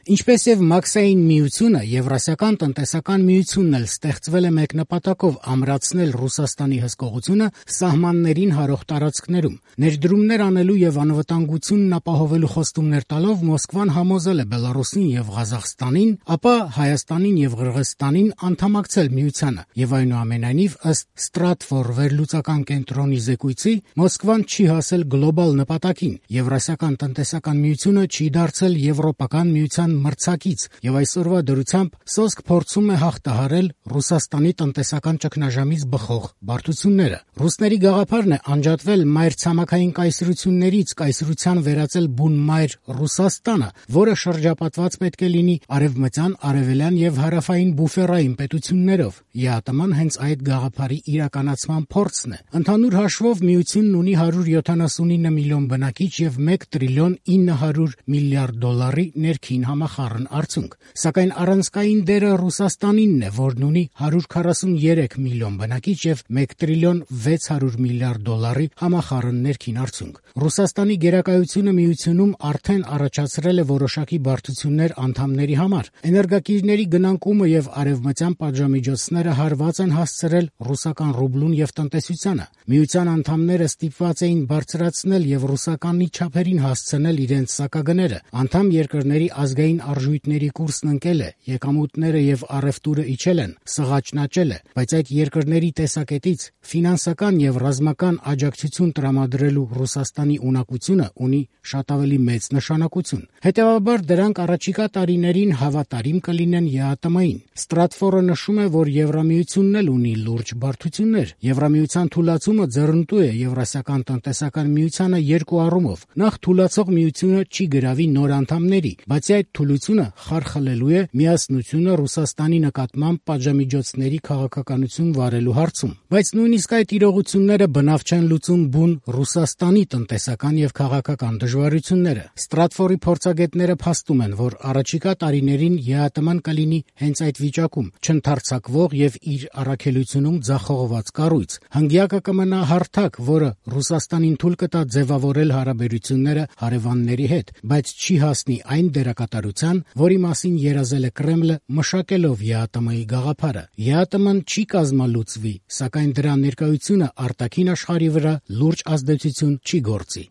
Ինչպես եւ Մաքսային միությունը, Եվրասիական տնտեսական միությունն էլ ստեղծվել է մեկ նպատակով՝ ամրացնել Ռուսաստանի հսկողությունը սահմաններին հարող տարածքներում։ Ներդրումներ անելու եւ անվտանգությունն ապահովելու խոստումներ տալով Մոսկվան համոզել է Բելարուսին եւ Ղազախստանին, ապա Հայաստանին եւ Ղրղըզստանին անդամակցել միությանը։ Եվ այնուամենայնիվ, ըստ Stratfor վերլուծական կենտրոնի զեկույցի, Մոսկվան չի հասել գլոբալ նպատակին։ Եվրասիական տնտեսական միությունը չի դարձել Եվրոպական միության մրցակից եւ այսօրվա դրությամբ սոսկ փորձում է հաղթահարել Ռուսաստանի տնտեսական ճգնաժամից բխող բարդությունները։ Ռուսների գաղափարն է անջատվել մայրցամաքային կայսրություններից, կայսրության վերածել բուն մայր Ռուսաստանը, որը շրջապատված պետք է լինի արևմտյան, արևելյան եւ հարավային բուֆերային պետություններով։ ԵԱՏՄ-ն հենց այդ գաղափարի իրականացման փորձն է։ Ընդհանուր հաշվով միությունն ունի 179 միլիոն բնակիչ եւ 1 տրիլիոն 900 միլիարդ դոլարի ներքին համախառն արդյունք։ Սակայն առանցքային դերը Ռուսաստանինն է, որն ունի 143 միլիոն բնակիչ եւ 1 տրիլիոն 600 միլիարդ դոլարի համախառն ներքին արդյունք։ Ռուսաստանի գերակայությունը միությունում արդեն առաջացրել է որոշակի բարդություններ անդամների համար։ Էներգակիրների գնանկումը եւ արևմտյան պատժամիջոցները հարված են հասցրել ռուսական ռուբլուն եւ տնտեսությանը։ Միության անդամները ստիպված էին բարձրացնել եւ ռուսականի չափերին հասցնել իրենց սակագները։ Անդամ երկրների ազգային արժույթների կուրսն ընկել է, եկամուտները եւ առևտուրը իջել են, սղաճն աճել է, բայց այդ երկրների տեսակետից ֆինանսական եւ ռազմական աջակցություն տրամադրելու Ռուսաստանի ունակությունը ունի շատ ավելի մեծ նշանակություն։ Հետևաբար դրանք առաջիկա տարիներին հավատարիմ կլինեն ԵԱՏՄ-ին։ Stratfor-ը նշում է, որ Եվրամիությունն էլ ունի լուրջ բարդություններ։ Եվրամիության թուլացումը ձեռնտու է Եվրասիական տնտեսական միությանը երկու առումով։ Նախ, թուլացող միությունը չի գրավի նոր անդամների, բացի այդ թուլությունը խարխլելու է միասնությունը Ռուսաստանի նկատմամբ պատժամիջոցների քաղաքականություն վարելու հարցում։ Բայց նույնիսկ այդ իրողությունները բնավ չեն լուծում բուն Ռուսաստանի տնտեսական եւ քաղաքական դժվարությունները։ Stratfor-ի փորձագետները փաստում են, որ առաջիկա տարիներին ԵԱՏՄ-ն կլինի հենց այդ վիճակում՝ չընդարձակվող եւ իր առաքելությունում ձախողված կառույց։ Հնգյակը կմնա հարթակ, որը Ռուսաստանին թույլ կտա ձևավորել հարաբերությունները հարևանների հետ, բայց չի հասնի այն դերակատարության, որի մասին երազել է Կրեմլը, մշակելով ԵԱՏՄ-ի գաղափարը։ ԵԱՏՄ-ն չի կազմալուծվի, սակայն դրա ներկայությունը արտաքին աշխարհի վրա լուրջ ազդեցություն չի գործի։